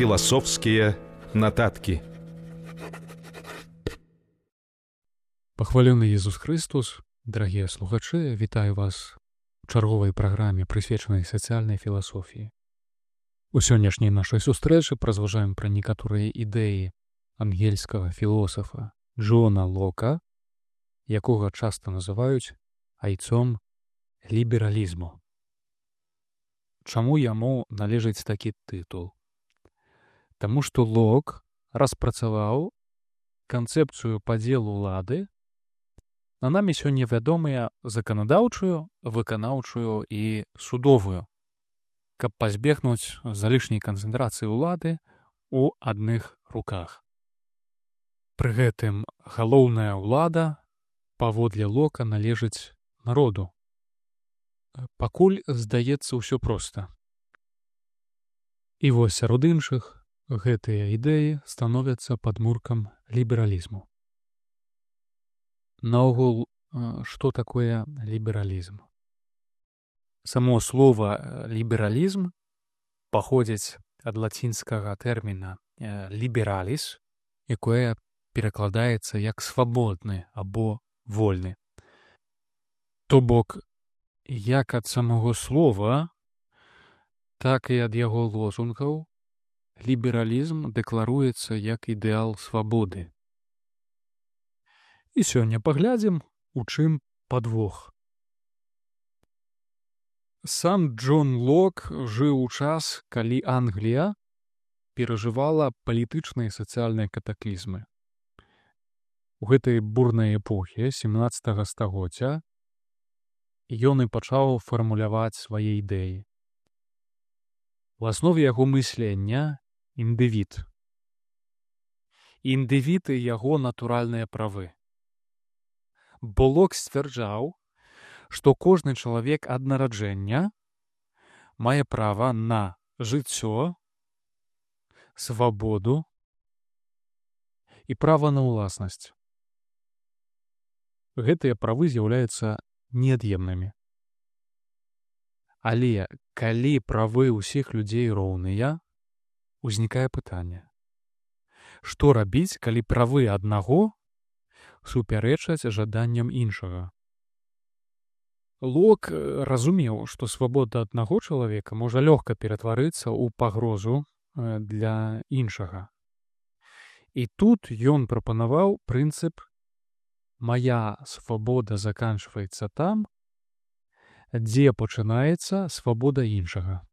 Філасофскія нататкі. Пахвалены Езус Христос, дарагія слухачы, вітаю вас у чарговай праграме, прысвечанай сацыяльнай філасофіі. У сённяшняй нашай сустрэчы празважаем пра некаторыя ідэі ангельскага філосафа Джона Лока, якога часта называюць айцом лібералізму. Чаму яму належыць такі тытул? Таму што Лок распрацаваў канцэпцыю падзелу улады на намі сёння вядомыя заканадаўчую, выканаўчую і судовую, каб пазбегнуць залішняй канцэнтрацыі ўлады ў адных руках. Пры гэтым галоўная ўлада паводле Лока належыць народу. Пакуль здаецца ўсё проста. І вось сярод іншых гэтыя ідэі становяцца падмуркам лібералізму. Наогул, што такое лібералізм? Само слова лібералізм паходзіць ад лацінскага тэрміна liberalis, якое перакладаецца як свабодны або вольны. То бок, як ад самого слова, так і ад яго лозунгаў лібералізм дэкларуецца як ідэал свабоды. І сёння паглядзім, у чым падвох. Сам Джон Лок жыў у час, калі Англія перажывала палітычныя і сацыяльныя катаклізмы. У гэтай бурнай эпохі 17 стагоддзя ён і пачаў фармуляваць свае ідэі. У аснове яго мыслення індывід. Індывід і яго натуральныя правы. Бо Лок сцвярджаў, што кожны чалавек ад нараджэння мае права на жыццё, свабоду і права на ўласнасць. Гэтыя правы з'яўляюцца неад'емнымі. Але калі правы ўсіх людзей роўныя, узнікае пытанне. Што рабіць, калі правы аднаго супярэчаць жаданням іншага? Лок разумеў, што свабода аднаго чалавека можа лёгка ператварыцца ў пагрозу для іншага. І тут ён прапанаваў прынцып «Мая свабода заканчваецца там, дзе пачынаецца свабода іншага».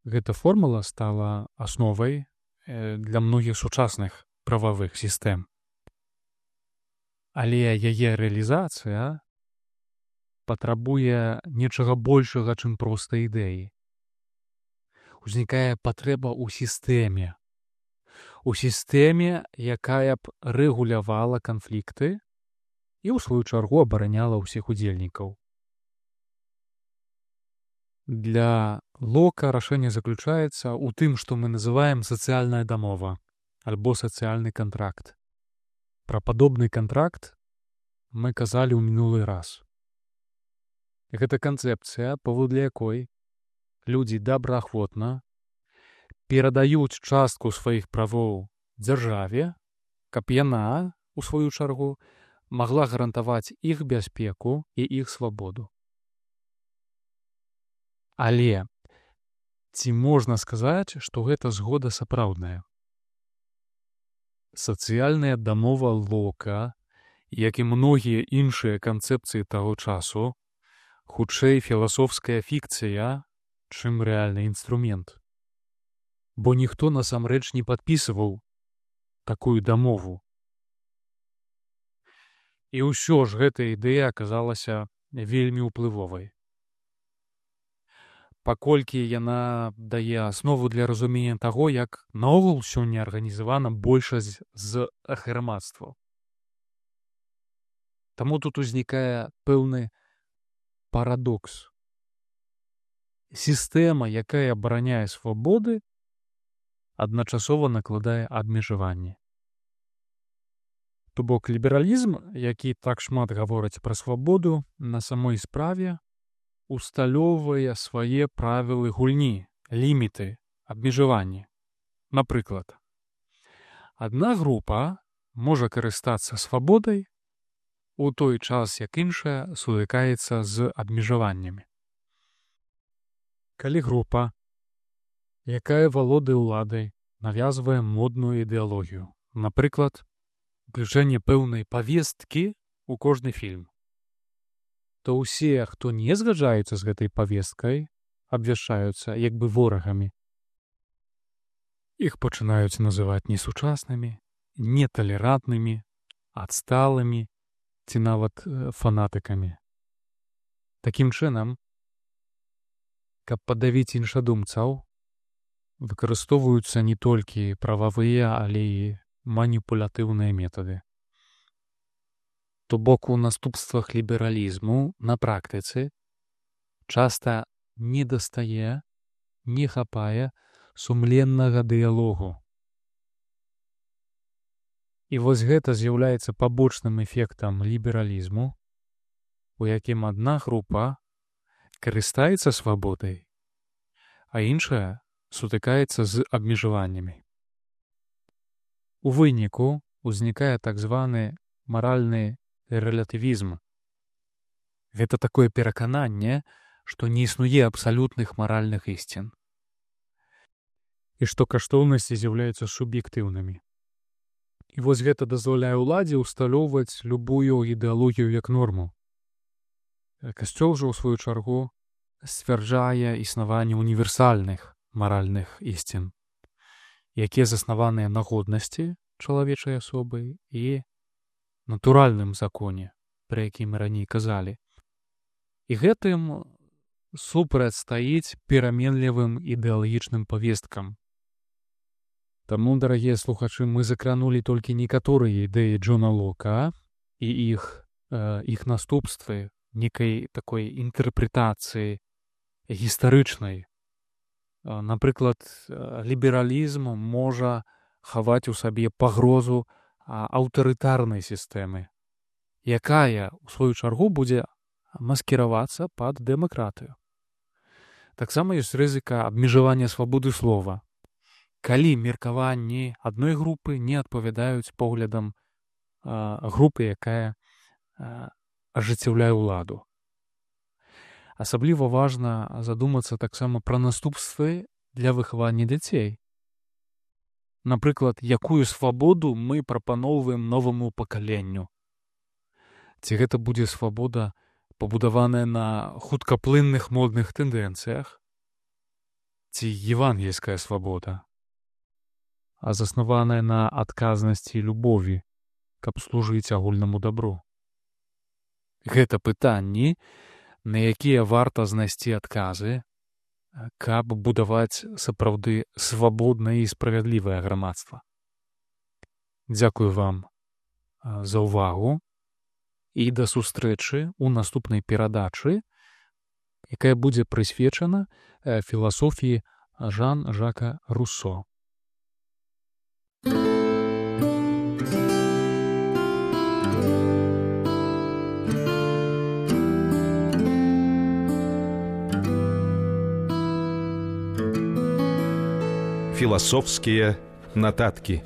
Гэта формула стала асновай для многіх сучасных прававых сістэм. Але яе рэалізацыя патрабуе нечага большага, чым проста ідэі. Узнікае патрэба ў сістэме. У сістэме, якая б рэгулявала канфлікты і, ў сваю чаргу, абараняла ўсіх удзельнікаў. Для Лока рашэнне заключаецца ў тым, што мы называем сацыяльная дамова альбо сацыяльны кантракт. Пра падобны кантракт мы казалі ў мінулы раз. Гэта канцэпцыя, паводле якой людзі добраахвотна перадаюць частку сваіх правоў дзяржаве, каб яна, у сваю чаргу, магла гарантаваць іх бяспеку і іх свабоду. Але ці можна сказаць, што гэта згода сапраўдная? Сацыяльная дамова Лока, як і многія іншыя канцэпцыі таго часу, хутчэй філасофская фікцыя, чым рэальны інструмент. Бо ніхто насамрэч не падпісываў такую дамову. І ўсё ж гэта ідэя аказалася вельмі ўплывовай. Паколькі яна дае аснову для разумення таго, як наогул сёння арганізавана большасць з грамадстваў. Таму тут узнікае пэўны парадокс. Сістэма, якая абараняе свабоды, адначасова накладае абмежаванні. То бок лібералізм, які так шмат гаворыць пра свабоду, на самой справе усталёўвае свае правілы гульні, ліміты, абмежаванні. Напрыклад, адна група можа карыстацца свабодай у той час, як іншая сутыкаецца з абмежаваннямі. Калі група, якая валодае ўладай, навязвае модную ідэалогію, напрыклад, уключэнне пэўнай павесткі ў кожны фільм, то ўсе, хто не згаджаецца з гэтай павесткай, абвяшчаюцца як бы ворагамі. Іх пачынаюць называць несучаснымі, неталерантнымі, адсталымі ці нават фанатыкамі. Такім чынам, каб падавіць іншадумцаў, выкарыстоўваюцца не толькі прававыя, але і маніпулятыўныя метады. То бок у наступствах лібералізму на практыцы часта недастае, не хапае сумленнага дыялогу. І вось гэта з'яўляецца пабочным эфектам лібералізму, у якім адна група карыстаецца свабодай, а іншая сутыкаецца з абмежаваннямі. У выніку узнікае так званы маральны рэлятывізм. Гэта такое перакананне, што не існуе абсалютных маральных ісцін і што каштоўнасці з'яўляюцца суб'ектыўнымі. І вось гэта дазваляе ўладзе ўсталёўваць любую ідэалогію як норму. Касцёл жа, у сваю чаргу, сцвярджае існаванне універсальных маральных ісцін, якія заснаваныя на годнасці чалавечай асобы і натуральным законе, пра які мы раней казалі. І гэтым супрацьстаіць пераменлівым ідэалагічным павесткам. Таму, дарагія слухачы, мы закранулі толькі некаторыя ідэі Джона Лока і іх наступствы некай такой інтэрпрэтацыі гістарычнай. Напрыклад, лібералізм можа хаваць у сабе пагрозу аўтарытарнай сістэмы, якая, у сваю чаргу, будзе маскіравацца пад дэмакратыю. Таксама ёсць рызыка абмежавання свабоды слова, калі меркаванні адной групы не адпавядаюць поглядам групы, якая ажыццяўляе ўладу. Асабліва важна задумацца таксама пра наступствы для выхавання дзяцей. Напрыклад, якую свабоду мы прапаноўваем новаму пакаленню. Ці гэта будзе свабода, пабудаваная на хуткаплынных модных тэндэнцыях, ці евангельская свабода, а заснаваная на адказнасці і любові, каб служыць агульнаму дабру. Гэта пытанні, на якія варта знайсці адказы, каб будаваць сапраўды свабоднае і справядлівае грамадства. Дзякую вам за ўвагу і да сустрэчы ў наступнай перадачы, якая будзе прысвечана філасофіі Жан-Жака Руссо. Философские нотатки.